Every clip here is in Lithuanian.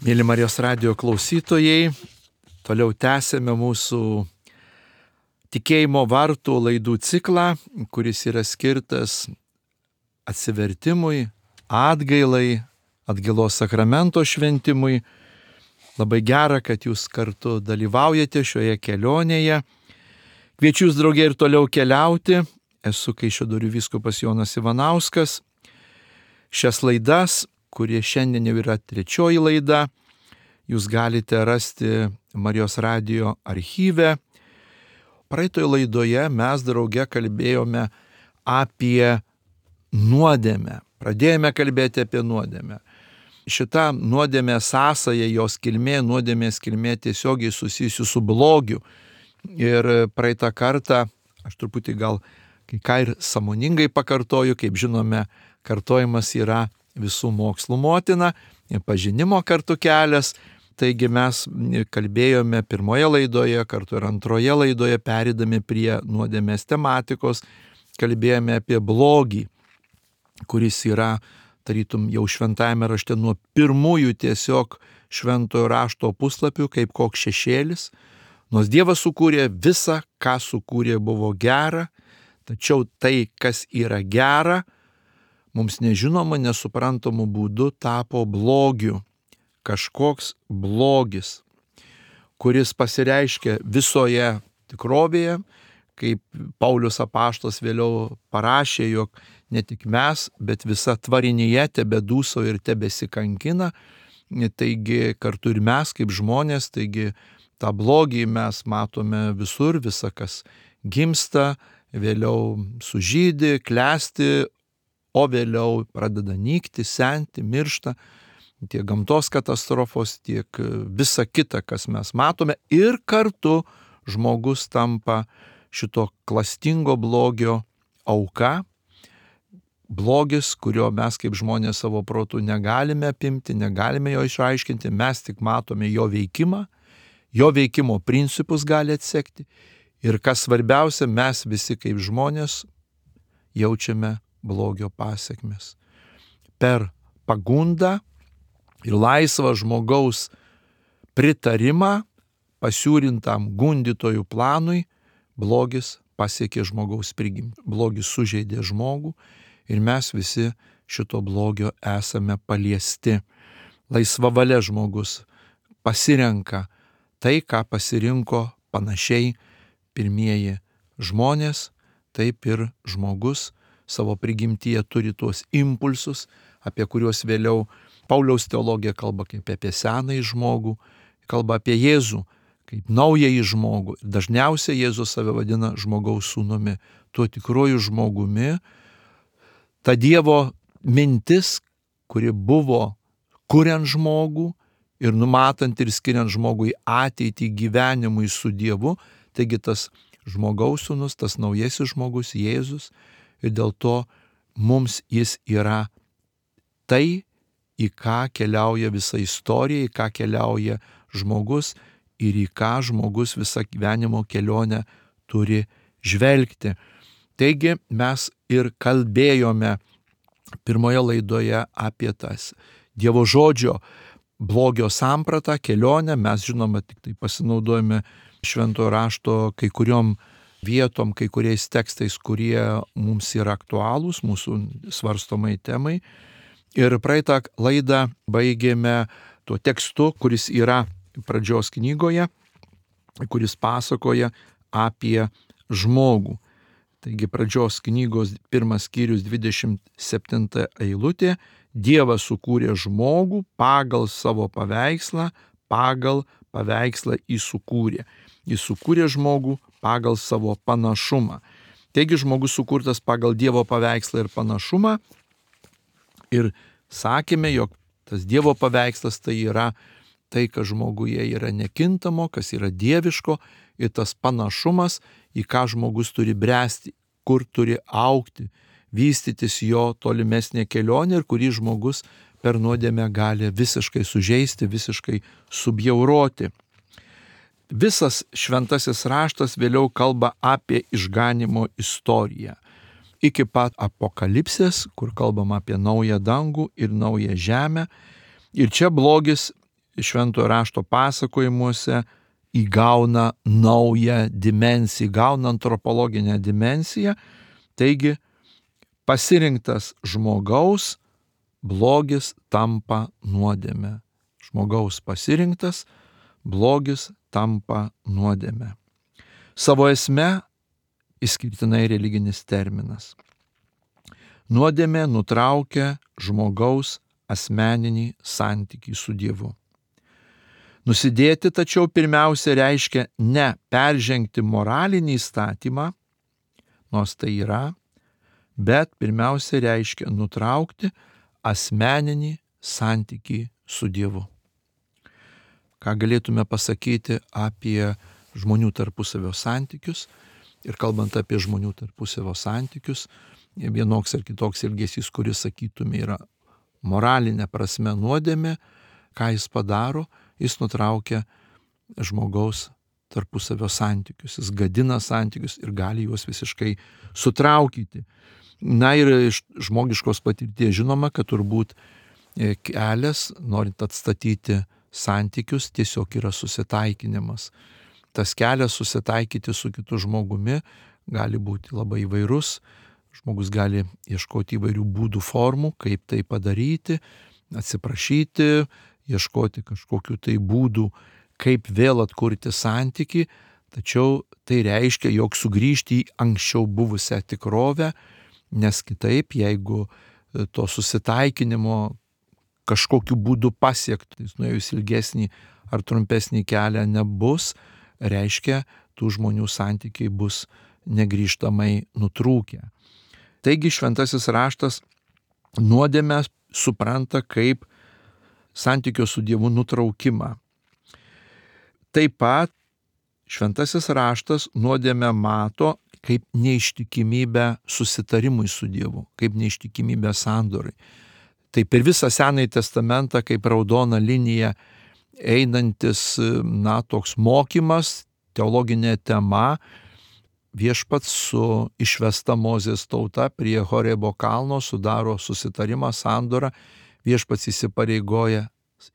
Mėly Marijos radijo klausytojai, toliau tęsėme mūsų tikėjimo vartų laidų ciklą, kuris yra skirtas atsivertimui, atgailai, atgailos sakramento šventimui. Labai gera, kad jūs kartu dalyvaujate šioje kelionėje. Kviečiu jūs draugė ir toliau keliauti. Esu Kaišiadorių vyskupas Jonas Ivanauskas. Šias laidas, kurie šiandien jau yra trečioji laida, jūs galite rasti Marijos radijo archyve. Praeitoje laidoje mes drauge kalbėjome apie nuodėmę. Pradėjome kalbėti apie nuodėmę. Šita nuodėmė sąsaja, jos kilmė, nuodėmės kilmė tiesiogiai susijusi su blogiu. Ir praeitą kartą, aš truputį gal kai ką ir sąmoningai pakartoju, kaip žinome, kartojimas yra visų mokslų motina, pažinimo kartu kelias. Taigi mes kalbėjome pirmoje laidoje, kartu ir antroje laidoje, perėdami prie nuodėmės tematikos, kalbėjome apie blogį, kuris yra, tarytum, jau šventajame rašte nuo pirmųjų tiesiog šventojo rašto puslapių, kaip koks šešėlis. Nors Dievas sukūrė visą, ką sukūrė, buvo gera, tačiau tai, kas yra gera, mums nežinoma, nesuprantamų būdų tapo blogiu. Kažkoks blogis, kuris pasireiškia visoje tikrovėje, kaip Paulius apaštalas vėliau parašė, jog ne tik mes, bet visa tvarinėje tebedūso ir tebesikankina. Taigi kartu ir mes kaip žmonės, taigi tą blogį mes matome visur, visa kas gimsta, vėliau sužydi, klesti, o vėliau pradeda nykti, senti, miršta. Tiek gamtos katastrofos, tiek visa kita, kas mes matome. Ir kartu žmogus tampa šito klastingo blogio auka. Blogis, kurio mes kaip žmonės savo protų negalime apimti, negalime jo išaiškinti, mes tik matome jo veikimą, jo veikimo principus gali atsekti. Ir kas svarbiausia, mes visi kaip žmonės jaučiame blogio pasekmes. Per pagundą ir laisvą žmogaus pritarimą pasiūrintam gundytojų planui, blogis pasiekė žmogaus prigimtį. Blogis sužeidė žmogų ir mes visi šito blogio esame paliesti. Laisva valia žmogus pasirenka tai, ką pasirinko panašiai pirmieji žmonės, taip ir žmogus savo prigimtyje turi tuos impulsus, apie kuriuos vėliau Pauliaus teologija kalba kaip apie senąjį žmogų, kalba apie Jėzų kaip naująjį žmogų. Dažniausiai Jėzus save vadina žmogaus sūnumi, tuo tikruoju žmogumi. Ta Dievo mintis, kuri buvo kuriant žmogų ir numatant ir skiriant žmogui ateitį gyvenimui su Dievu, taigi tas žmogaus sūnus, tas naujasis žmogus Jėzus, ir dėl to mums jis yra tai, į ką keliauja visa istorija, į ką keliauja žmogus ir į ką žmogus visą gyvenimo kelionę turi žvelgti. Taigi mes ir kalbėjome pirmoje laidoje apie tas Dievo žodžio blogio sampratą, kelionę. Mes žinoma tik tai pasinaudojame šventojo rašto kai kuriom vietom, kai kuriais tekstais, kurie mums yra aktualūs, mūsų svarstomai temai. Ir praeitą laidą baigėme tuo tekstu, kuris yra pradžios knygoje, kuris pasakoja apie žmogų. Taigi pradžios knygos 1 skyrius 27 eilutė. Dievas sukūrė žmogų pagal savo paveikslą, pagal paveikslą jį sukūrė. Jis sukūrė žmogų pagal savo panašumą. Taigi žmogus sukurtas pagal Dievo paveikslą ir panašumą. Ir sakėme, jog tas Dievo paveikslas tai yra tai, kas žmoguje yra nekintamo, kas yra dieviško, ir tas panašumas, į ką žmogus turi bręsti, kur turi augti, vystytis jo tolimesnė kelionė ir kurį žmogus per nuodėmę gali visiškai sužeisti, visiškai subjauroti. Visas šventasis raštas vėliau kalba apie išganymo istoriją. Iki pat apokalipsės, kur kalbama apie naują dangų ir naują žemę. Ir čia blogis šventojo rašto pasakojimuose įgauna naują dimensiją, įgauna antropologinę dimensiją. Taigi pasirinktas žmogaus blogis tampa nuodėme. Žmogaus pasirinktas blogis tampa nuodėme. Savo esme išskirtinai religinis terminas. Nuodėmė nutraukia žmogaus asmeninį santykį su Dievu. Nusidėti tačiau pirmiausia reiškia ne peržengti moralinį įstatymą, nors tai yra, bet pirmiausia reiškia nutraukti asmeninį santykį su Dievu. Ką galėtume pasakyti apie žmonių tarpusavio santykius? Ir kalbant apie žmonių tarpusavio santykius, vienoks ar kitoks elgesys, kuris, sakytume, yra moralinė prasme nuodėmė, ką jis padaro, jis nutraukia žmogaus tarpusavio santykius, jis gadina santykius ir gali juos visiškai sutraukyti. Na ir iš žmogiškos patirties žinoma, kad turbūt kelias, norint atstatyti santykius, tiesiog yra susitaikinimas. Tas kelias susitaikyti su kitu žmogumi gali būti labai įvairus. Žmogus gali ieškoti įvairių būdų, formų, kaip tai padaryti, atsiprašyti, ieškoti kažkokių tai būdų, kaip vėl atkurti santykį, tačiau tai reiškia, jog sugrįžti į anksčiau buvusią tikrovę, nes kitaip, jeigu to susitaikinimo kažkokiu būdu pasiekti, nuėjus ilgesnį ar trumpesnį kelią nebus, reiškia, tų žmonių santykiai bus negrįžtamai nutrūkę. Taigi šventasis raštas nuodėmę supranta kaip santykio su Dievu nutraukimą. Taip pat šventasis raštas nuodėmę mato kaip neištikimybę susitarimui su Dievu, kaip neištikimybę sandorai. Tai per visą Senąjį testamentą kaip raudona linija einantis, toks mokymas, teologinė tema, viešpats su išvesta Mozės tauta prie Horebo kalno sudaro susitarimą, sandorą, viešpats įsipareigoja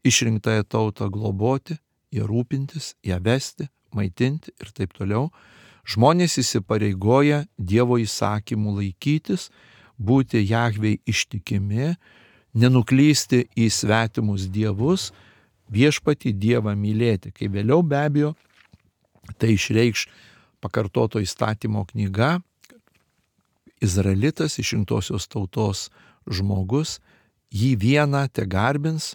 išrinktąją tautą globoti, ją rūpintis, ją vesti, maitinti ir taip toliau. Žmonės įsipareigoja Dievo įsakymų laikytis, būti Jahvei ištikimi, nenuklysti į svetimus dievus, viešpatį Dievą mylėti. Kai vėliau be abejo tai išreikš pakartoto įstatymo knyga, Izraelitas, išrinktosios tautos žmogus, jį vieną tegarbins,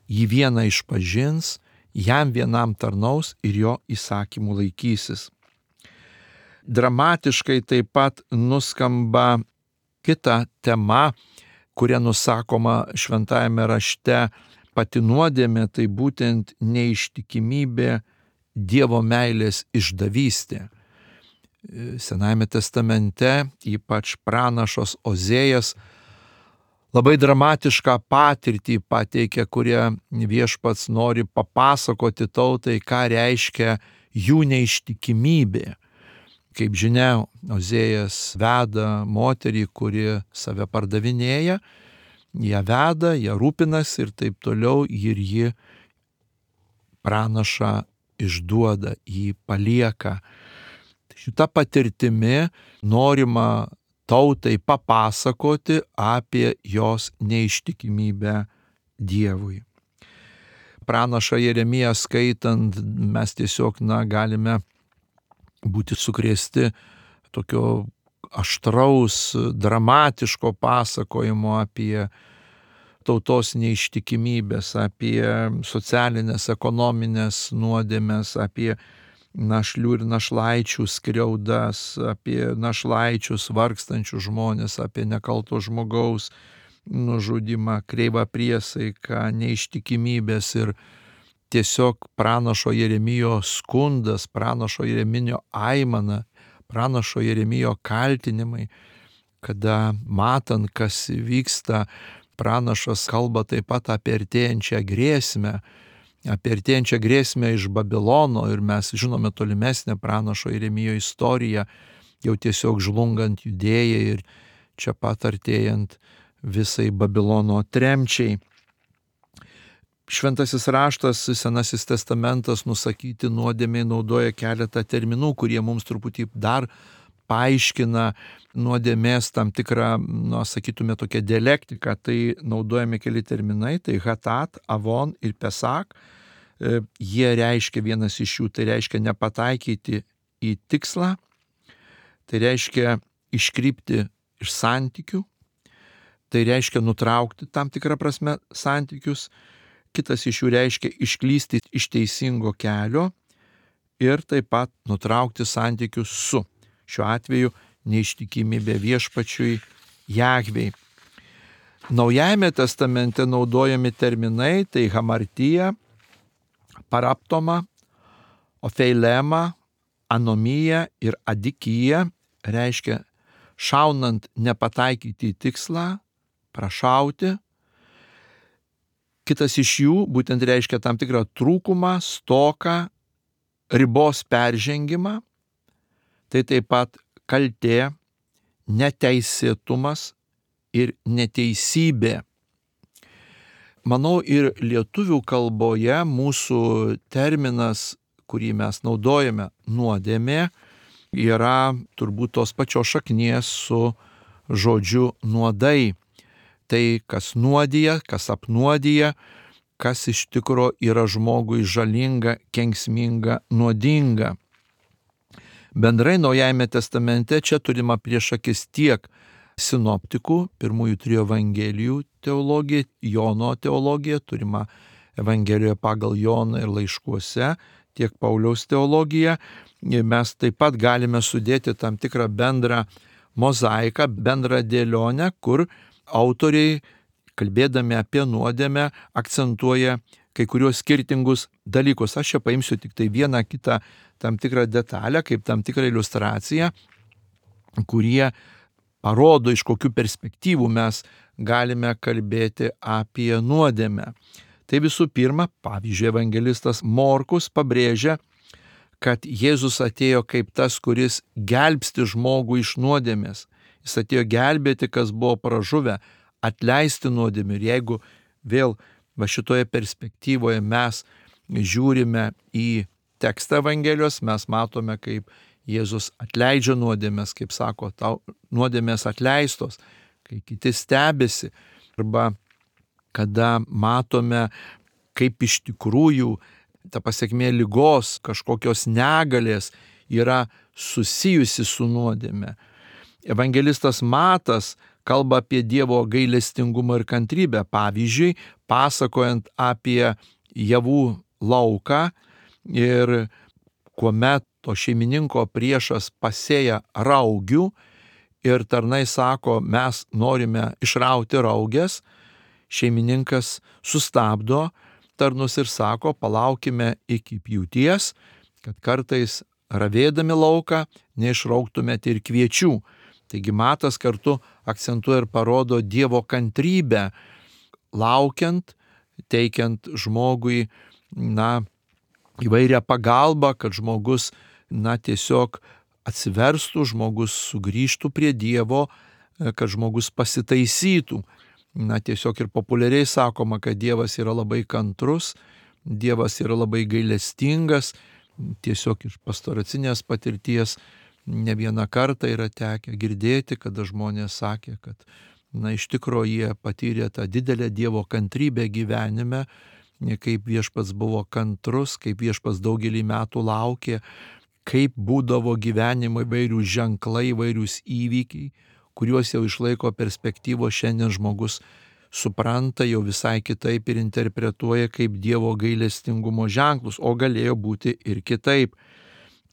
jį vieną išpažins, jam vienam tarnaus ir jo įsakymų laikysis. Dramatiškai taip pat nuskamba kita tema, kuria nusakoma šventajame rašte pati nuodėmė, tai būtent neištikimybė Dievo meilės išdavystė. Senajame testamente, ypač pranašas Ozėjas, labai dramatišką patirtį pateikia, kurie viešpats nori papasakoti tautai, ką reiškia jų neištikimybė. Kaip žinia, Ozėjas veda moterį, kuri save pardavinėja, ją veda, ją rūpinasi ir taip toliau, ir ji pranašą išduoda, jį palieka. Šita patirtimi norima tautai papasakoti apie jos neištikimybę Dievui. Pranašą Jeremiją skaitant, mes tiesiog galime būti sukrėsti tokio aštraus, dramatiško pasakojimo apie tautos neištikimybės, apie socialinės, ekonominės nuodėmes, apie našlių ir našlaičių skriaudas, apie našlaičius vargstančius žmonės, apie nekalto žmogaus nužudimą, kreivą priesaiką, neištikimybės ir tiesiog pranašo Jeremijo skundas, pranašo Jeremijo aimana, pranašo Jeremijo kaltinimai, kada matant, kas vyksta, pranašas kalba taip pat apie artėjančią grėsmę iš Babilono ir mes žinome tolimesnę pranašo Jeremijo istoriją, jau tiesiog žlungant Judėjai ir čia pat artėjant visai Babilono tremčiai. Šventasis raštas, Senasis testamentas nusakyti nuodėmiai naudoja keletą terminų, kurie mums truputį dar paaiškina nuodėmės tam tikrą, sakytume, tokią dialektiką. Tai naudojami keli terminai, tai hatat, avon ir pesak. Jie reiškia, vienas iš jų, tai reiškia nepataikyti į tikslą, tai reiškia iškrypti iš santykių, tai reiškia nutraukti tam tikrą prasme santykius, kitas iš jų reiškia išklysti iš teisingo kelio ir taip pat nutraukti santykius su, šiuo atveju, neištikimybė viešpačiui Jahvei. Naujajame testamente naudojami terminai, tai hamartija, paraptoma, ofeilema, anomija ir adikija, reiškia šaunant nepataikyti į tikslą, prašauti. Kitas iš jų būtent reiškia tam tikrą trūkumą, stoką, ribos peržengimą. Tai taip pat kaltė, neteisėtumas ir neteisybė. Manau, ir lietuvių kalboje mūsų terminas, kurį mes naudojame, nuodėmė, yra turbūt tos pačios šaknies su žodžiu nuodai. Tai, kas nuodija, kas apnuodija, kas iš tikro yra žmogui žalinga, kenksminga, nuodinga. Bendrai Naujajame testamente čia turima prieš akis tiek sinoptikų, pirmųjų 3 evangelijų teologija, Jono teologija, turima Evangelijoje pagal Joną ir laiškuose, tiek Pauliaus teologija. Mes taip pat galime sudėti tam tikrą bendrą mozaiką, bendrą dėlionę, kur autoriai, kalbėdami apie nuodėmę, akcentuoja kai kuriuos skirtingus dalykus. Aš čia paimsiu tik tai vieną kitą tam tikrą detalę, kaip tam tikrą iliustraciją, kurie parodo, iš kokių perspektyvų mes galime kalbėti apie nuodėmę. Tai visų pirma, pavyzdžiui, evangelistas Morkus pabrėžia, kad Jėzus atėjo kaip tas, kuris gelbsti žmogų iš nuodėmės. Jis atėjo gelbėti, kas buvo pražuvę, atleisti nuodėmę. Ir jeigu vėl šitoje perspektyvoje mes žiūrime į tekstą Evangelijos, mes matome, kaip Jėzus atleidžia nuodėmės, kaip sako, tau nuodėmės atleistos, kai kiti stebisi. Arba kada matome, kaip iš tikrųjų ta pasekmė ligos, kažkokios negalės yra susijusi su nuodėme. Evangelistas Matas kalba apie Dievo gailestingumą ir kantrybę. Pavyzdžiui, pasakojant apie javų lauką ir kuomet to šeimininko priešas pasėja raugių ir tarnai sako, mes norime išrauti raugės, šeimininkas sustabdo tarnus ir sako, palaukime iki pjūties, kad kartais ravėdami lauką neišrauktumėte ir kviečių. Taigi Matas kartu akcentuoja ir parodo Dievo kantrybę, laukiant, teikiant žmogui, įvairią pagalbą, kad žmogus, tiesiog atsiverstų, žmogus sugrįžtų prie Dievo, kad žmogus pasitaisytų. Tiesiog ir populiariai sakoma, kad Dievas yra labai kantrus, Dievas yra labai gailestingas. Tiesiog iš pastoracinės patirties ne vieną kartą yra tekę girdėti, kada žmonės sakė, kad iš tikrųjų jie patyrė tą didelę Dievo kantrybę gyvenime, kaip viešpats buvo kantrus, kaip viešpats daugelį metų laukė, kaip būdavo gyvenimo įvairių ženklai, įvairiūs įvykiai, kuriuos jau išlaiko perspektyvos šiandien žmogus supranta jau visai kitaip ir interpretuoja kaip Dievo gailestingumo ženklus, o galėjo būti ir kitaip.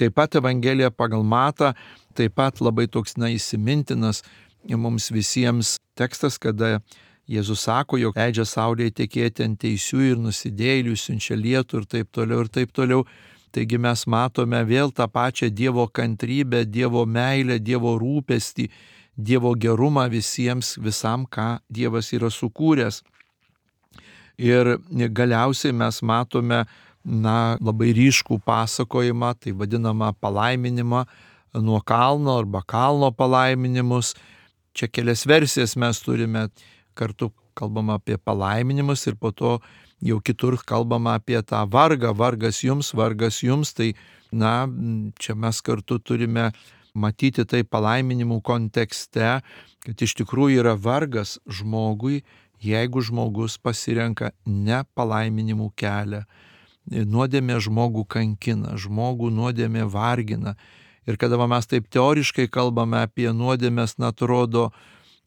Taip pat Evangelija pagal Matą, taip pat labai toks įsimintinas mums visiems tekstas, kada Jėzus sako, jog leidžia saulėje tekėti ant teisių ir nusidėjėlių, siunčia lietų ir taip toliau ir taip toliau. Taigi mes matome vėl tą pačią Dievo kantrybę, Dievo meilę, Dievo rūpestį, Dievo gerumą visiems, visam, ką Dievas yra sukūręs. Ir galiausiai mes matome labai ryškų pasakojimą, tai vadinamą palaiminimą nuo kalno arba kalno palaiminimus. Čia kelias versijas mes turime, kartu kalbama apie palaiminimus ir po to jau kitur kalbama apie tą vargą, vargas jums, tai čia mes kartu turime matyti tai palaiminimų kontekste, kad iš tikrųjų yra vargas žmogui, jeigu žmogus pasirenka ne palaiminimų kelią. Nuodėmė žmogų kankina, žmogų nuodėmė vargina. Ir kada mes taip teoriškai kalbame apie nuodėmės, atrodo,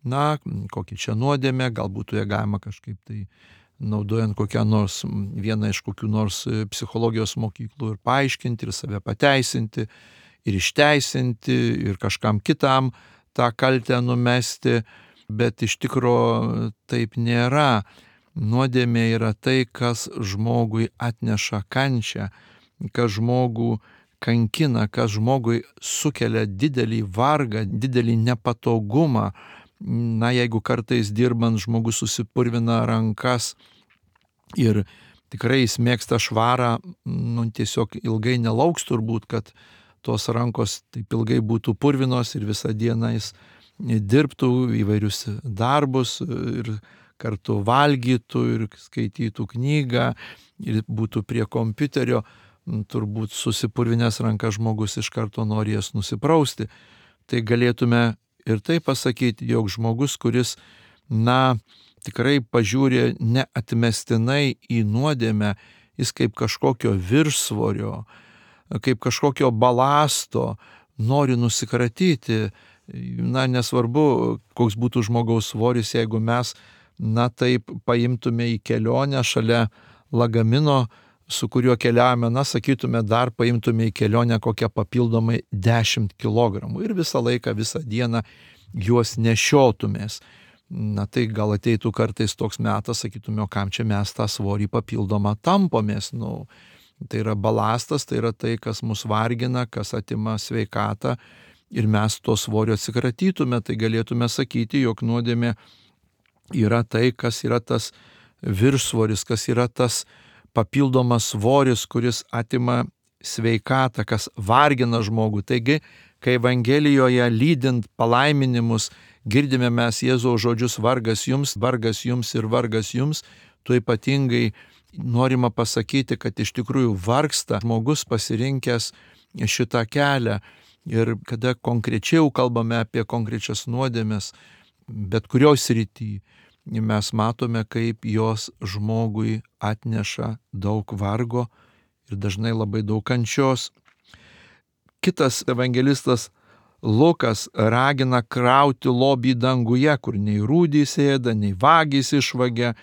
kokia čia nuodėmė, galbūt ją galima kažkaip tai naudojant vieną iš kokių nors psichologijos mokyklų ir paaiškinti, ir save pateisinti, ir išteisinti, ir kažkam kitam tą kaltę numesti, bet iš tikrųjų taip nėra. Nuodėmė yra tai, kas žmogui atneša kančią, kas žmogų kankina, kas žmogui sukelia didelį vargą, didelį nepatogumą. Jeigu kartais dirbant žmogus susipurvina rankas ir tikrai jis mėgsta švarą, tiesiog ilgai nelauks turbūt, kad tos rankos taip ilgai būtų purvinos ir visą dieną jis dirbtų įvairius darbus ir kartu valgytų ir skaitytų knygą ir būtų prie kompiuterio, turbūt susipurvinęs rankas žmogus iš karto nori jas nusiprausti. Tai galėtume ir tai pasakyti, jog žmogus, kuris, tikrai pažiūrė neatmestinai į nuodėmę, jis kaip kažkokio viršsvorio, kaip kažkokio balasto nori nusikratyti. Nesvarbu, koks būtų žmogaus svoris, jeigu mes, taip paimtume į kelionę šalia lagamino, su kuriuo keliavome, sakytume, dar paimtume į kelionę kokią papildomai 10 kg ir visą laiką, visą dieną juos nešiotumės. Tai gal ateitų kartais toks metas, sakytume, o kam čia mes tą svorį papildomą tampomės. Tai yra balastas, tai yra tai, kas mus vargina, kas atima sveikatą ir mes to svorio atsikratytume, tai galėtume sakyti, jog nuodėmė yra tai, kas yra tas viršsvoris, kas yra tas papildomas svoris, kuris atima sveikatą, kas vargina žmogų. Taigi, kai Evangelijoje lydint palaiminimus girdime mes Jėzaus žodžius vargas jums ir vargas jums, tuo ypatingai norima pasakyti, kad iš tikrųjų vargsta žmogus pasirinkęs šitą kelią. Ir kada konkrečiau kalbame apie konkrečias nuodėmes, bet kurioj srity, mes matome, kaip jos žmogui atneša daug vargo ir dažnai labai daug kančios. Kitas evangelistas Lukas ragina krauti lobį danguje, kur nei rūdys ėda, nei vagys išvagia.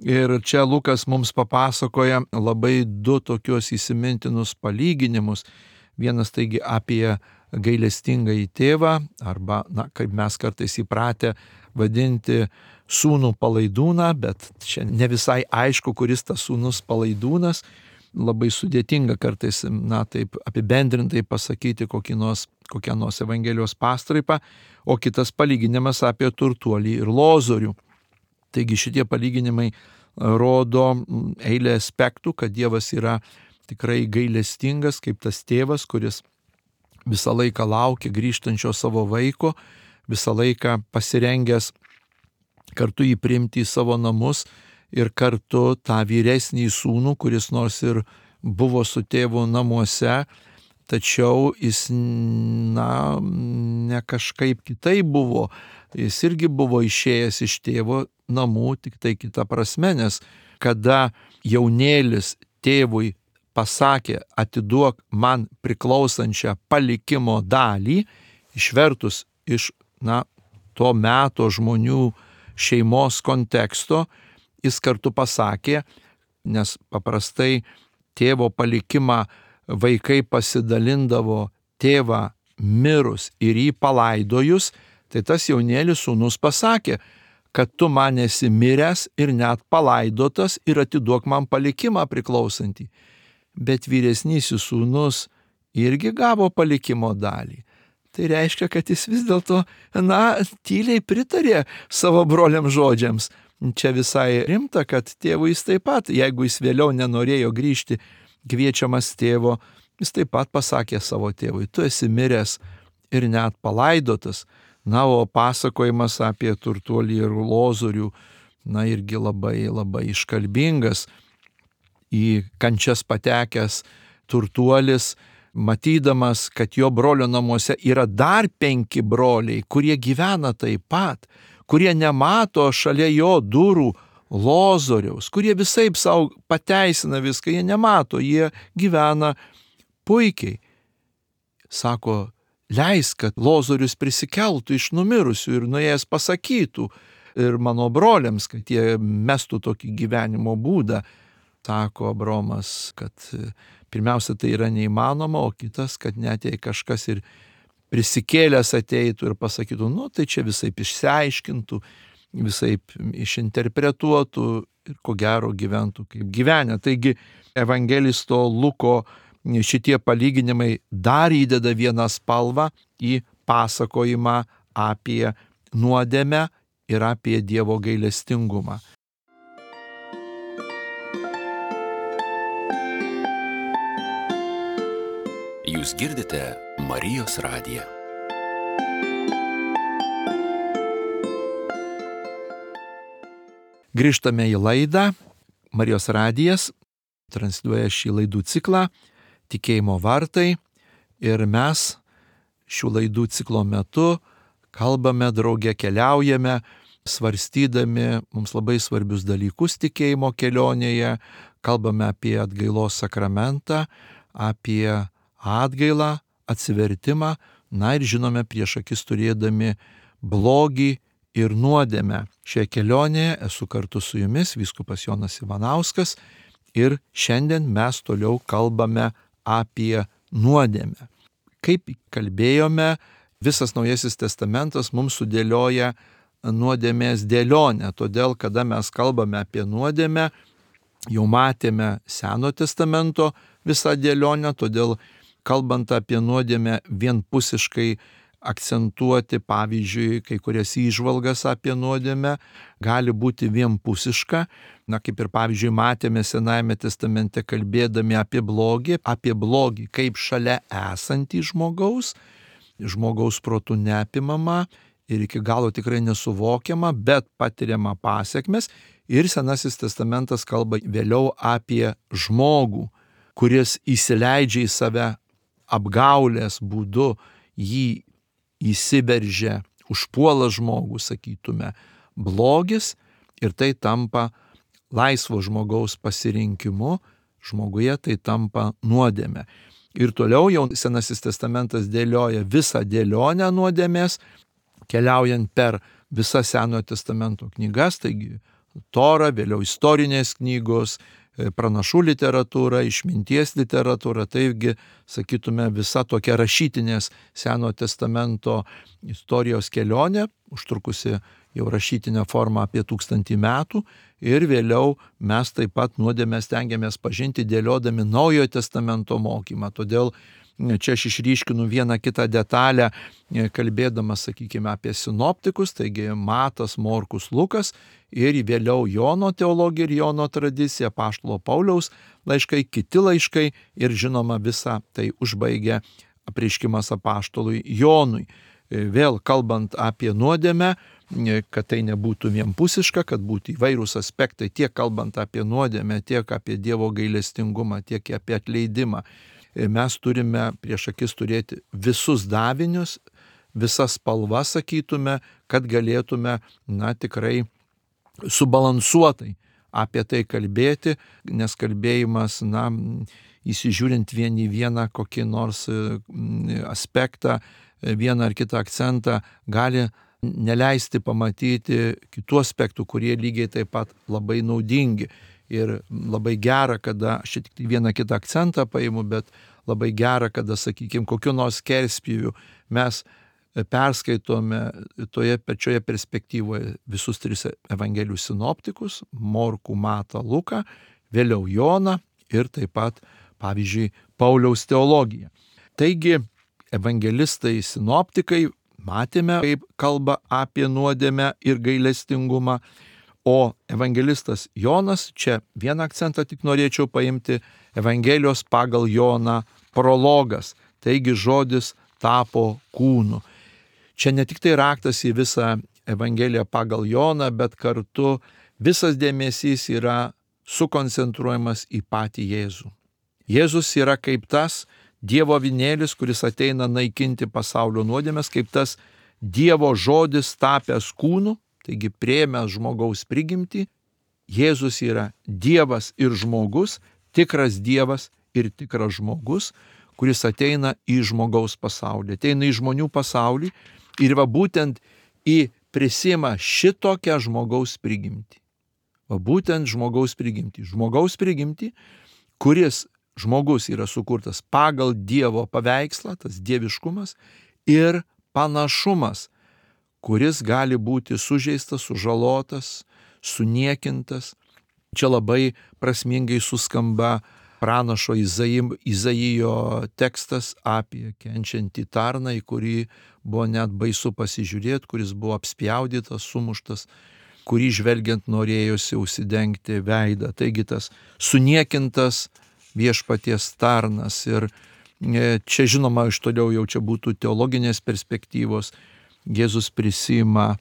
Ir čia Lukas mums papasakoja labai du tokius įsimintinus palyginimus. Vienas taigi apie gailestingąjį tėvą, arba, kaip mes kartais įpratę vadinti, sūnų palaidūną, bet čia ne visai aišku, kuris tas sūnus palaidūnas. Labai sudėtinga kartais, taip apibendrintai pasakyti kokią nors Evangelijos pastraipą, o kitas palyginimas apie turtuolį ir lozorių. Taigi šitie palyginimai rodo eilę aspektų, kad Dievas yra tikrai gailestingas, kaip tas tėvas, kuris visą laiką laukia grįžtančio savo vaiko, visą laiką pasirengęs kartu jį priimti į savo namus ir kartu tą vyresnį sūnų, kuris nors ir buvo su tėvu namuose, tačiau jis, ne kažkaip kitaip buvo. Jis irgi buvo išėjęs iš tėvo namų, tik tai kita prasme, nes kada jaunėlis tėvui pasakė, atiduok man priklausančią palikimo dalį, išvertus iš to meto žmonių šeimos konteksto, jis kartu pasakė, nes paprastai tėvo palikimą vaikai pasidalindavo tėvą mirus ir jį palaidojus, tai tas jaunėlis sūnus pasakė, kad tu man esi miręs ir net palaidotas ir atiduok man palikimą priklausantį. Bet vyresnysis sūnus irgi gavo palikimo dalį. Tai reiškia, kad jis vis dėlto, tyliai pritarė savo broliam žodžiams. Čia visai rimta, kad tėvui jis taip pat, jeigu jis vėliau nenorėjo grįžti kviečiamas tėvo, jis taip pat pasakė savo tėvui, tu esi miręs ir net palaidotas. O pasakojimas apie turtuolį ir lozorių, irgi labai, labai iškalbingas. į kančias patekęs turtuolis, matydamas, kad jo brolio namuose yra dar 5 broliai, kurie gyvena taip pat, kurie nemato šalia jo durų Lozoriaus, kurie visaip savo pateisina viską, jie nemato, jie gyvena puikiai. Sako, leisk, kad Lozorius prisikeltų iš numirusių ir nuėjęs pasakytų ir mano broliams, kad jie mestų tokį gyvenimo būdą. Sako Abraomas, kad pirmiausia tai yra neįmanoma, o kitas, kad net jei kažkas ir prisikėlęs ateitų ir pasakytų, tai čia visaip išsiaiškintų, visaip išinterpretuotų ir ko gero gyventų kaip gyvenę. Taigi evangelisto Luko šitie palyginimai dar įdeda vieną spalvą į pasakojimą apie nuodėmę ir apie Dievo gailestingumą. Jūs girdite Marijos radiją. Grįžtame į laidą. Marijos radijas transliuoja šį laidų ciklą Tikėjimo vartai ir mes šių laidų ciklo metu kalbame drauge, keliaujame, svarstydami mums labai svarbius dalykus tikėjimo kelionėje, kalbame apie atgailos sakramentą, apie atgailą, atsivertimą, ir žinome prieš akis turėdami blogį ir nuodėmę. Šioje kelionėje esu kartu su jumis vyskupas Jonas Ivanauskas ir šiandien mes toliau kalbame apie nuodėmę. Kaip kalbėjome, visas Naujasis testamentas mums sudėlioja nuodėmės dėlionę, todėl kada mes kalbame apie nuodėmę, jau matėme Seno testamento visą dėlionę, todėl kalbant apie nuodėmę vienpusiškai akcentuoti, pavyzdžiui, kai kurias įžvalgas apie nuodėmę gali būti vienpusiška. Kaip ir pavyzdžiui matėme Senajame testamente kalbėdami apie blogį kaip šalia esantį žmogaus protu neapimama ir iki galo tikrai nesuvokiama, bet patiriama pasiekmes. Ir Senasis testamentas kalba vėliau apie žmogų, kuris įsileidžia į save apgaulės būdu, jį įsiveržia, užpuola žmogų, sakytume, blogis ir tai tampa laisvo žmogaus pasirinkimu, žmoguje tai tampa nuodėmė. Ir toliau jau Senasis testamentas dėlioja visą dėlionę nuodėmės, keliaujant per visas Senojo testamento knygas, taigi Torą, vėliau istorinės knygos, pranašų literatūra, išminties literatūra, taigi, sakytume, visa tokia rašytinės Senojo testamento istorijos kelionė, užtrukusi jau rašytinę formą apie 1000 metų, ir vėliau mes taip pat nuodėmę stengiamės pažinti dėliodami Naujojo testamento mokymą. Todėl čia aš išryškinu vieną kitą detalę, kalbėdamas, sakykime, apie sinoptikus, taigi Matas, Morkus, Lukas ir vėliau Jono teologija ir Jono tradicija, apaštalo Pauliaus laiškai, kiti laiškai ir žinoma visą tai užbaigia apreiškimas apaštalui Jonui. Vėl kalbant apie nuodėmę, kad tai nebūtų vienpusiška, kad būtų įvairūs aspektai, tiek kalbant apie nuodėmę, tiek apie Dievo gailestingumą, tiek apie atleidimą. Mes turime prieš akis turėti visus davinius, visas spalvas, sakytume, kad galėtume, tikrai subalansuotai apie tai kalbėti, nes kalbėjimas, įsižiūrint vien į vieną kokį nors aspektą, vieną ar kitą akcentą, gali neleisti pamatyti kitų aspektų, kurie lygiai taip pat labai naudingi. Ir labai gera, kada, aš tik vieną kitą akcentą paimu, bet labai gera, kada, sakykime, kokiu nors skerspjūviu mes perskaitome toje pačioje perspektyvoje visus 3 evangelijų sinoptikus, Morkų, Matą, Luką, vėliau Joną ir taip pat, pavyzdžiui, Pauliaus teologiją. Taigi, evangelistai sinoptikai, matėme, kaip kalba apie nuodėmę ir gailestingumą, o evangelistas Jonas, čia vieną akcentą tik norėčiau paimti, Evangelijos pagal Joną prologas, taigi žodis tapo kūnu. Čia ne tik tai raktas į visą Evangeliją pagal Joną, bet kartu visas dėmesys yra sukoncentruojamas į patį Jėzų. Jėzus yra kaip tas Dievo avinėlis, kuris ateina naikinti pasaulio nuodėmes, kaip tas Dievo žodis tapęs kūnu, taigi priėmęs žmogaus prigimtį. Jėzus yra Dievas ir žmogus, tikras Dievas ir tikras žmogus, kuris ateina į žmogaus pasaulį, ateina į žmonių pasaulį ir va būtent prisima šitokią žmogaus prigimtį. Va būtent žmogaus prigimtį, kuris žmogus yra sukurtas pagal Dievo paveikslą, tas dieviškumas ir panašumas, kuris gali būti sužeistas, sužalotas, suniekintas. Čia labai prasmingai suskamba pranašo Izaijo tekstas apie kenčiantį tarną, į kurį buvo net baisu pasižiūrėti, kuris buvo apspjaudytas, sumuštas, kurį žvelgiant norėjosi užsidengti veidą. Taigi tas suniekintas viešpaties tarnas. Ir čia žinoma, iš toliau jau čia būtų teologinės perspektyvos. Jėzus prisima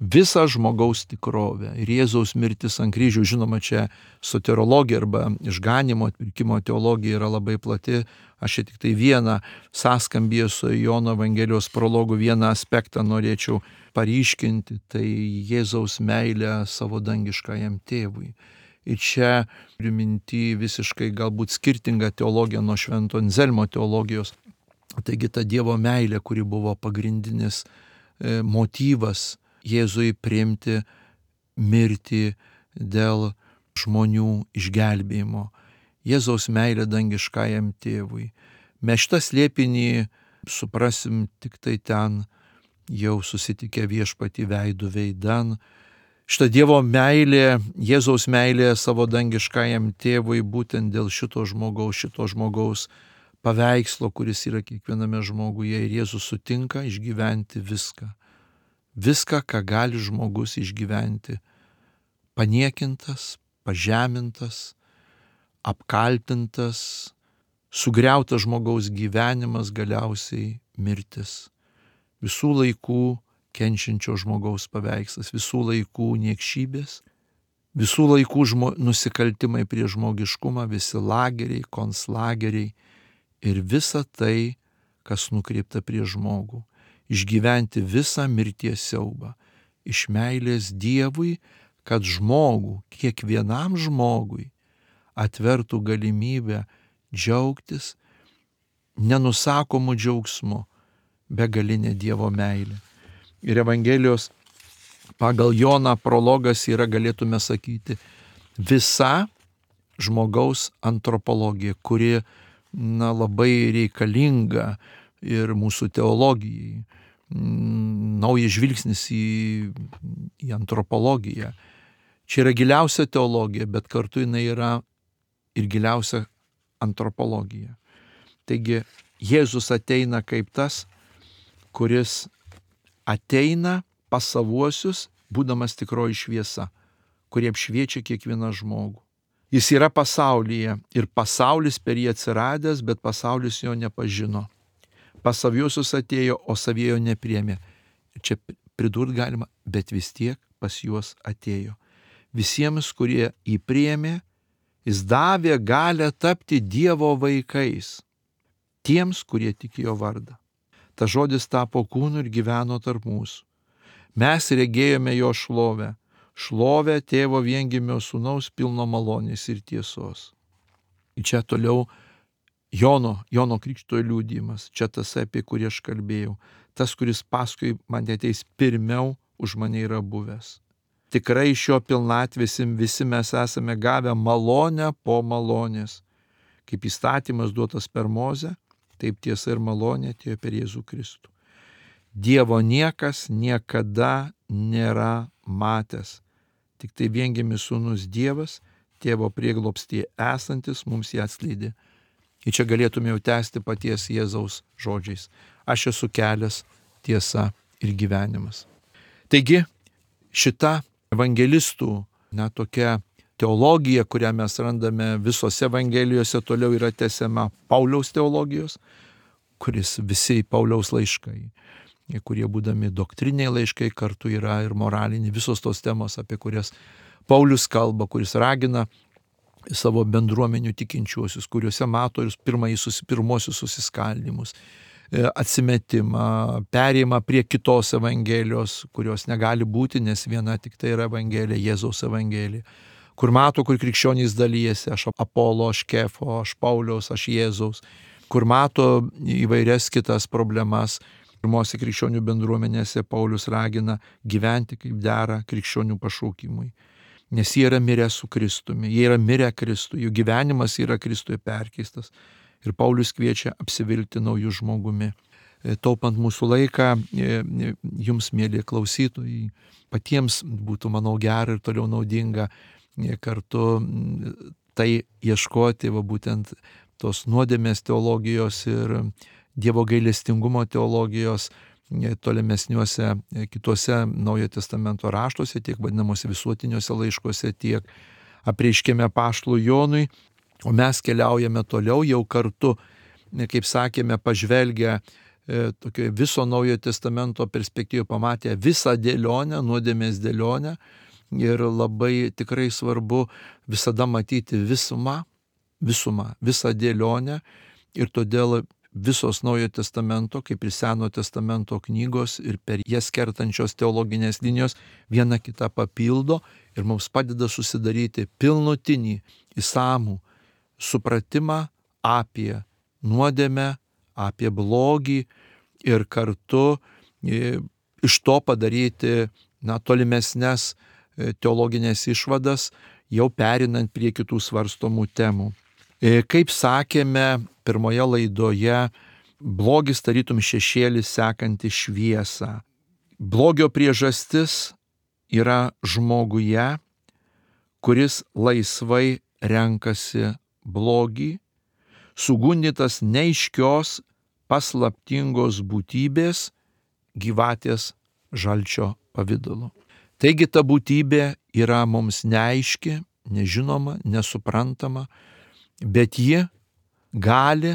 visą žmogaus tikrovę. Ir Jėzaus mirtis ant kryžių, žinoma, čia soterologija arba išganimo atpirkimo teologija yra labai plati. Aš čia tik tai vieną sąskambį su Jono Evangelijos prologu, vieną aspektą norėčiau paryškinti, tai Jėzaus meilę savo dangiškajam tėvui. Ir čia priminti visiškai galbūt skirtinga teologija nuo Švento Anzelmo teologijos. Taigi ta Dievo meilė, kuri buvo pagrindinis motyvas Jėzui priimti mirtį dėl žmonių išgelbėjimo. Jėzaus meilė dangiškajam tėvui. Mes šitą slėpinį suprasim tik tai ten, jau susitikę viešpatį veidų veidan. Šita Dievo meilė, Jėzaus meilė savo dangiškajam tėvui būtent dėl šito žmogaus paveikslo, kuris yra kiekviename žmoguje, ir Jėzus sutinka išgyventi viską. Viską, ką gali žmogus išgyventi. Paniekintas, pažemintas, apkaltintas, sugriautas žmogaus gyvenimas, galiausiai mirtis. Visų laikų kenčiančio žmogaus paveikslas, visų laikų niekšybės, visų laikų nusikaltimai prie žmogiškumą, visi lageriai, konclageriai ir visa tai, kas nukreipta prie žmogų. Išgyventi visą mirties siaubą iš meilės Dievui, kad žmogų, kiekvienam žmogui atvertų galimybę džiaugtis nenusakomu džiaugsmu, begalinė Dievo meilė. Ir Evangelijos pagal Joną prologas yra, galėtume sakyti, visa žmogaus antropologija, kuri labai reikalinga ir mūsų teologijai. Naujas žvilgsnis į antropologiją. Čia yra giliausia teologija, bet kartu jinai yra ir giliausia antropologija. Taigi Jėzus ateina kaip tas, kuris ateina pas savuosius, būdamas tikroji šviesa, kurie apšviečia kiekvieną žmogų. Jis yra pasaulyje ir pasaulis per jį atsiradęs, bet pasaulis jo nepažino. Pas saviuosius atėjo, o saviejo nepriėmė. Čia pridurt galima, bet vis tiek pas juos atėjo. Visiems, kurie jį priėmė, jis davė galią tapti Dievo vaikais. Tiems, kurie tikėjo vardą. Tas žodis tapo kūnu ir gyveno tarp mūsų. Mes regėjome jo šlovę. Šlovę tėvo viengimio sūnaus pilno malonės ir tiesos. Ir čia toliau Jono Krikštytojo liudijimas. Čia tas, apie kurį aš kalbėjau. Tas, kuris paskui mane ateis pirmiau, už mane yra buvęs. Tikrai iš jo pilnatvės visi mes esame gavę malonę po malonės. Kaip įstatymas duotas per Mozę, taip tiesa ir malonė atėjo per Jėzų Kristų. Dievo niekas niekada nėra matęs. Tik tai viengimis sūnus Dievas, tėvo prieglobstyje esantis, mums jį atskleidė. Ir čia galėtume jau tęsti paties Jėzaus žodžiais. Aš esu kelias, tiesa ir gyvenimas. Taigi šita evangelistų tokia teologija, kurią mes randame visose evangelijose, toliau yra tęsiama Pauliaus teologijos, kuris visi Pauliaus laiškai, kurie būdami doktriniai laiškai, kartu yra ir moraliniai, visos tos temos, apie kurias Paulius kalba, kuris ragina savo bendruomenių tikinčiuosius, kuriuose mato ir pirmosius susiskaldimus, atsimetimą, perėjimą prie kitos evangelijos, kurios negali būti, nes viena tik tai yra evangelija, Jėzaus evangelija, kur mato, kur krikščionys dalyjasi, aš Apolo, aš Kefo, aš Pauliaus, aš Jėzaus, kur mato įvairias kitas problemas. Pirmose krikščionių bendruomenėse Paulius ragina gyventi kaip dera krikščionių pašaukimui. Nes jie yra mirę su Kristumi, jie yra mirę Kristui, jų gyvenimas yra Kristuje perkeistas. Ir Paulius kviečia apsivilkti naujų žmogumi. Taupant mūsų laiką, jums, mėly klausytojai, patiems būtų, manau, gera ir toliau naudinga kartu tai ieškoti, būtent tos nuodėmės teologijos ir Dievo gailestingumo teologijos tolimesniuose kituose Naujojo testamento raštuose, tiek vadinamuose visuotiniuose laiškuose, tiek apreiškime apaštalui Jonui, o mes keliaujame toliau jau kartu, kaip sakėme, pažvelgę tokioje viso Naujojo testamento perspektyvoje, pamatę visą dėlionę, nuodėmės dėlionę, ir labai tikrai svarbu visada matyti visumą, visą dėlionę, ir todėl visos Naujojo testamento, kaip ir Senojo testamento knygos ir per jas kertančios teologinės linijos viena kitą papildo ir mums padeda susidaryti pilnutinį, išsamų supratimą apie nuodėmę, apie blogį ir kartu iš to padaryti tolimesnes teologinės išvadas, jau perinant prie kitų svarstomų temų. Kaip sakėme pirmoje laidoje, blogis tarytum šešėlis sekanti šviesą. Blogio priežastis yra žmoguje, kuris laisvai renkasi blogį, sugundytas neaiškios, paslaptingos būtybės gyvatės žalčio pavidalu. Taigi ta būtybė yra mums neaiški, nežinoma, nesuprantama, bet ji gali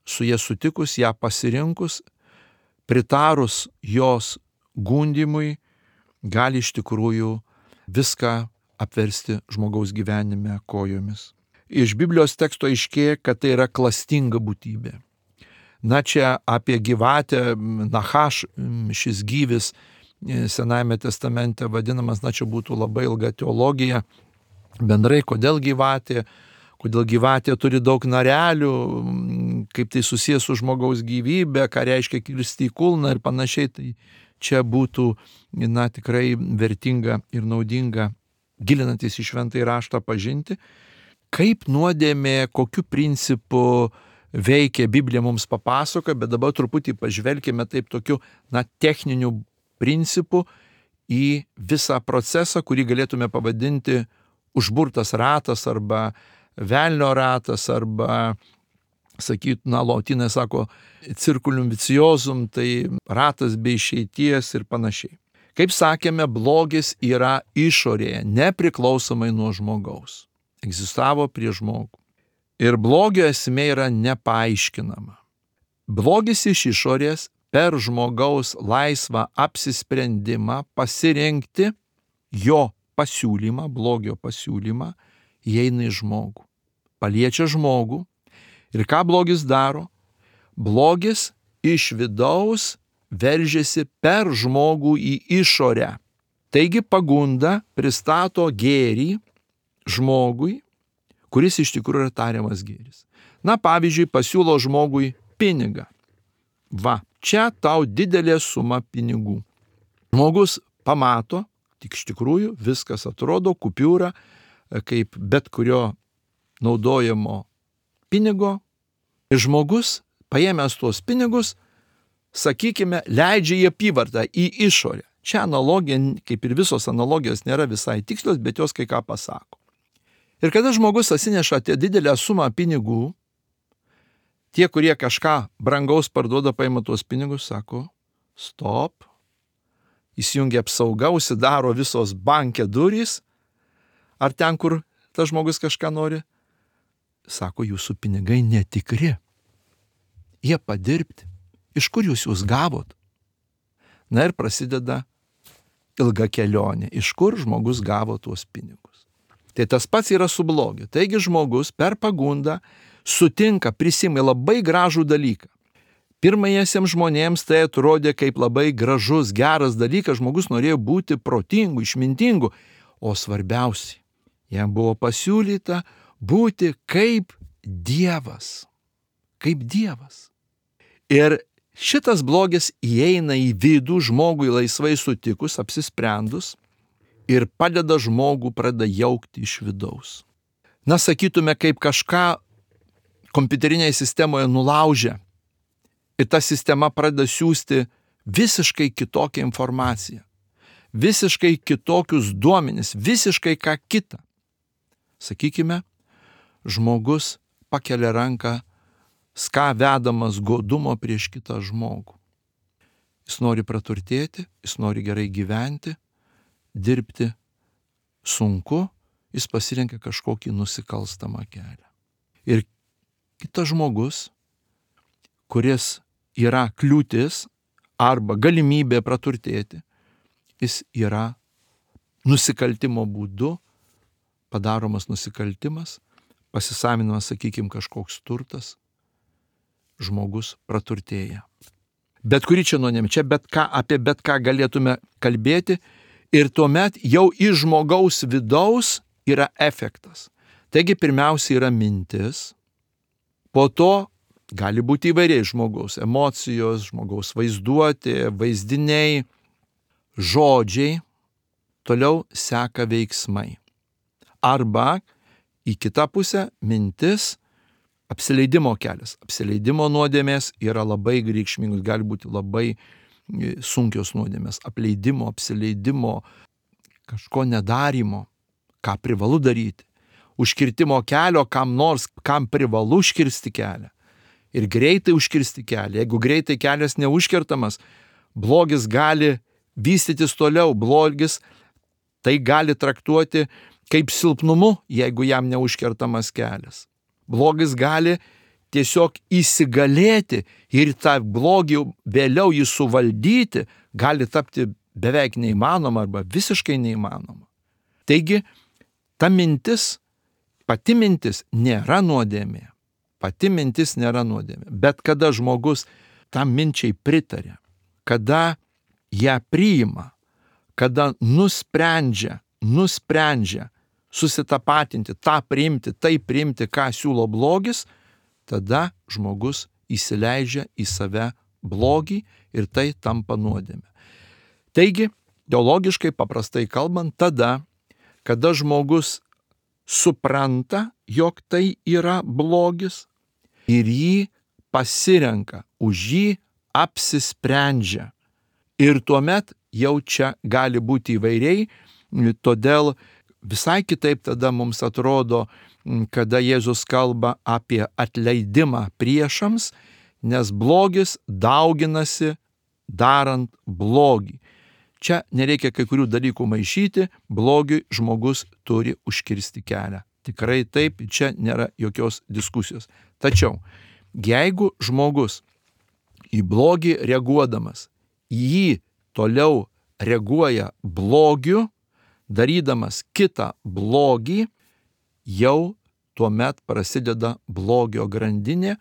su ja sutikus, ją pasirinkus, pritarus jos gundymui, gali iš tikrųjų viską apversti žmogaus gyvenime kojomis. Iš Biblijos teksto aiškėja, kad tai yra klastinga būtybė. Čia apie gyvatę, Nachaš, šis gyvis Senajame testamente vadinamas, čia būtų labai ilga teologija. Bendrai, kodėl gyvatė turi daug narelių, kaip tai susijęs su žmogaus gyvybė, ką reiškia kirsti į kulną ir panašiai. Tai čia būtų tikrai vertinga ir naudinga, gilinantis į šventąjį raštą, pažinti, kaip nuodėmė, kokiu principu veikia Biblija, mums papasakoja, bet dabar truputį pažvelkime taip tokiu techniniu principu į visą procesą, kurį galėtume pavadinti užburtas ratas arba velnio ratas arba, lotynai sako, circulum viciosum, tai ratas be išeities ir panašiai. Kaip sakėme, blogis yra išorėje, nepriklausomai nuo žmogaus. Egzistavo prie žmogų. Ir blogio esmė yra nepaaiškinama. Blogis iš išorės per žmogaus laisvą apsisprendimą pasirinkti jo pasiūlymą, blogio pasiūlymą, įeina į žmogų. Paliečia žmogų. Ir ką blogis daro? Blogis iš vidaus veržiasi per žmogų į išorę. Taigi pagunda pristato gėrį žmogui, kuris iš tikrųjų yra tariamas gėris. Pavyzdžiui, pasiūlo žmogui pinigą. Čia tau didelė suma pinigų. Žmogus pamato, tik iš tikrųjų viskas atrodo kupiūra, kaip bet kurio naudojamo pinigo. Ir žmogus, paėmęs tuos pinigus, sakykime, leidžia į apyvartą, į išorę. Čia analogija, kaip ir visos analogijos, nėra visai tikslios, bet jos kai ką pasako. Ir kada žmogus atsineša didelę sumą pinigų, tie, kurie kažką brangaus parduoda, paima tuos pinigus, sako, stop, įsijungia apsauga, užsidaro visos banke durys, ar ten, kur tas žmogus kažką nori, sako, jūsų pinigai netikri, jie padirbti, iš kur jūs juos gavot? Ir prasideda ilga kelionė, iš kur žmogus gavo tuos pinigus. Tai tas pats yra su blogiu. Taigi žmogus per pagundą sutinka, prisimė labai gražų dalyką. Pirmajiesiems žmonėms tai atrodė kaip labai gražus, geras dalykas, žmogus norėjo būti protingu, išmintingu, o svarbiausia, jam buvo pasiūlyta būti kaip Dievas. Kaip Dievas. Ir šitas blogis įeina į vidų žmogui laisvai sutikus, apsisprendus ir padeda žmogų pradeda jaukti iš vidaus. Na, sakytume, kaip kažką kompiuterinėje sistemoje nulaužia ir ta sistema pradeda siųsti visiškai kitokią informaciją, visiškai kitokius duomenis, visiškai ką kitą. Sakykime, žmogus pakelia ranką, vedamas godumo prieš kitą žmogų. Jis nori praturtėti, jis nori gerai gyventi, dirbti sunku, jis pasirenka kažkokį nusikalstamą kelią. Ir kitas žmogus, kuris yra kliūtis arba galimybė praturtėti, jis yra nusikaltimo būdu, padaromas nusikaltimas, pasisaminamas, sakykime, kažkoks turtas, žmogus praturtėja. Bet kuri čia nuodėmė, čia apie bet ką galėtume kalbėti ir tuomet jau iš žmogaus vidaus yra efektas. Taigi pirmiausia yra mintis, po to gali būti įvairiai žmogaus emocijos, žmogaus vaizduotė, vaizdiniai, žodžiai, toliau seka veiksmai. Arba į kitą pusę mintis, apsileidimo kelias. Apsileidimo nuodėmės yra labai reikšmingos, gali būti labai sunkios nuodėmės. Apleidimo, apsileidimo, kažko nedarimo, ką privalu daryti. Užkirtimo kelio kam nors, kam privalu užkirsti kelią. Ir greitai užkirsti kelią. Jeigu greitai kelias neužkertamas, blogis gali vystytis toliau. Blogis tai gali traktuoti kaip silpnumu, jeigu jam neužkertamas kelias. Blogis gali tiesiog įsigalėti ir tą blogį vėliau jį suvaldyti gali tapti beveik neįmanoma arba visiškai neįmanoma. Taigi, ta mintis, pati mintis nėra nuodėmė. Pati mintis nėra nuodėmė. Bet kada žmogus tam minčiai pritarė, kada ją priima, kada nusprendžia susitapatinti, tą priimti, tai priimti, ką siūlo blogis, tada žmogus įsileidžia į save blogį ir tai tampa nuodėmė. Taigi, teologiškai paprastai kalbant, tada, kada žmogus supranta, jog tai yra blogis ir jį pasirenka, už jį apsisprendžia. Ir tuomet jau čia gali būti įvairiai, todėl visai kitaip tada mums atrodo, kada Jėzus kalba apie atleidimą priešams, nes blogis dauginasi darant blogį. Čia nereikia kai kurių dalykų maišyti, blogiui žmogus turi užkirsti kelią. Tikrai taip, čia nėra jokios diskusijos. Tačiau, jeigu žmogus į blogį reaguodamas, jį toliau reaguoja blogiu, darydamas kitą blogį, jau tuomet prasideda blogio grandinė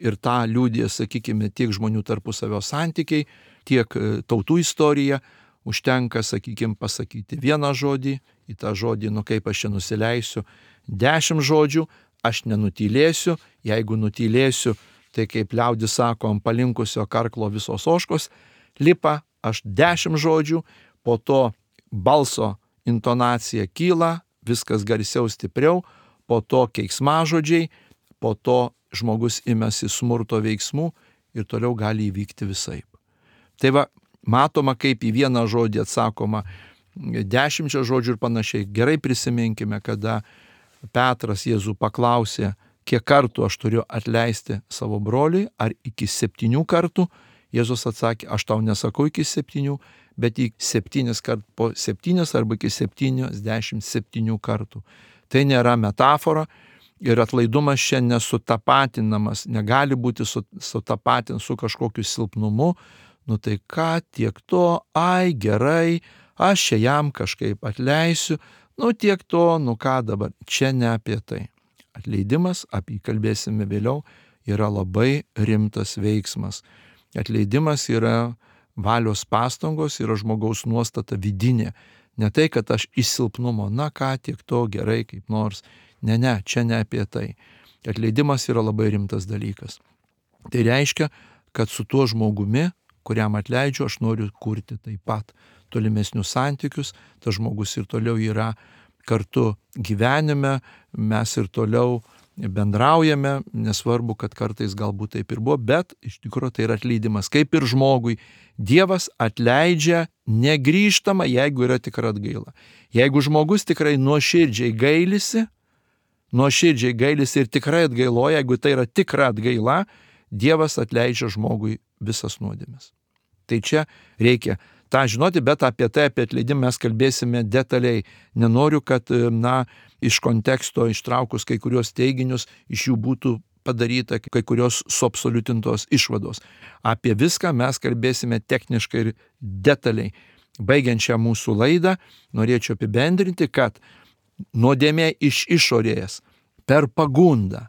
ir tą liudija, sakykime, tiek žmonių tarpusavio santykiai, tiek tautų istorija. Užtenka, sakykime, pasakyti vieną žodį, į tą žodį, kaip aš čia nusileisiu, 10 žodžių, aš nenutylėsiu, jeigu nutylėsiu, tai kaip liaudis sako, ant palinkusio karklo visos ožkos lipa, aš 10 žodžių, po to balso intonacija kyla, viskas garsiau, stipriau, po to keiksmažodžiai, po to žmogus imasi smurto veiksmų ir toliau gali įvykti visaip. Tai va, matoma, kaip į vieną žodį atsakoma 10 žodžių ir panašiai. Gerai prisiminkime, kada Petras Jėzų paklausė, kiek kartų aš turiu atleisti savo broliui, ar iki 7 kartų. Jėzus atsakė, aš tau nesakau iki 7, bet į 7 kartų, po 7 arba iki 77 kartų. Tai nėra metafora ir atlaidumas čia nesutapatinamas, negali būti sutapatinti su kažkokiu silpnumu. Tai ką, tiek to, gerai, aš čia jam kažkaip atleisiu, Tiek to, ką dabar, čia ne apie tai. Atleidimas, apie jį kalbėsime vėliau, yra labai rimtas veiksmas. Atleidimas yra valios pastangos, yra žmogaus nuostata vidinė. Ne tai, kad aš iš silpnumo, tiek to, gerai, kaip nors. Ne, čia ne apie tai. Atleidimas yra labai rimtas dalykas. Tai reiškia, kad su tuo žmogumi, kuriam atleidžiu, aš noriu kurti taip pat tolimesnius santykius, tas žmogus ir toliau yra kartu gyvenime, mes ir toliau bendraujame, nesvarbu, kad kartais galbūt taip ir buvo, bet iš tikrųjų tai yra atleidimas. Kaip ir žmogui, Dievas atleidžia negrįžtamą, jeigu yra tikra atgaila. Jeigu žmogus tikrai nuoširdžiai gailisi ir tikrai atgailoja, jeigu tai yra tikra atgaila, Dievas atleidžia žmogui visas nuodėmes. Tai čia reikia tą žinoti, bet apie atleidimą mes kalbėsime detaliai. Nenoriu, kad, iš konteksto ištraukus kai kurios teiginius, iš jų būtų padaryta kai kurios suabsoliutintos išvados. Apie viską mes kalbėsime techniškai ir detaliai. Baigiant šią mūsų laidą, norėčiau apibendrinti, kad nuodėmė iš išorės per pagundą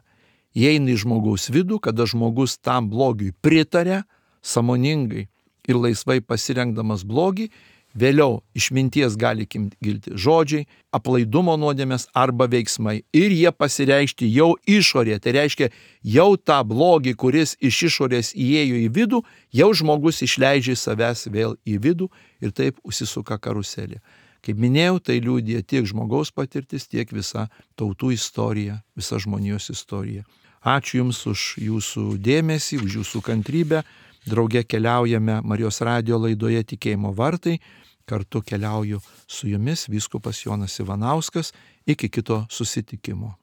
įeina į žmogaus vidų, kada žmogus tam blogiui pritarė, sąmoningai ir laisvai pasirengdamas blogį, vėliau iš minties gali kilti žodžiai, aplaidumo nuodėmės arba veiksmai. Ir jie pasireikšti jau išorėje. Tai reiškia, jau tą blogį, kuris iš išorės įėjo į vidų, jau žmogus išleidžia savęs vėl į vidų ir taip užsisuka karuselė. Kaip minėjau, tai liudija tiek žmogaus patirtis, tiek visa tautų istorija, visa žmonijos istorija. Ačiū Jums už Jūsų dėmesį, už Jūsų kantrybę. Drauge keliaujame Marijos radijo laidoje Tikėjimo vartai. Kartu keliauju su Jumis vyskupas Jonas Ivanauskas. Iki kito susitikimo.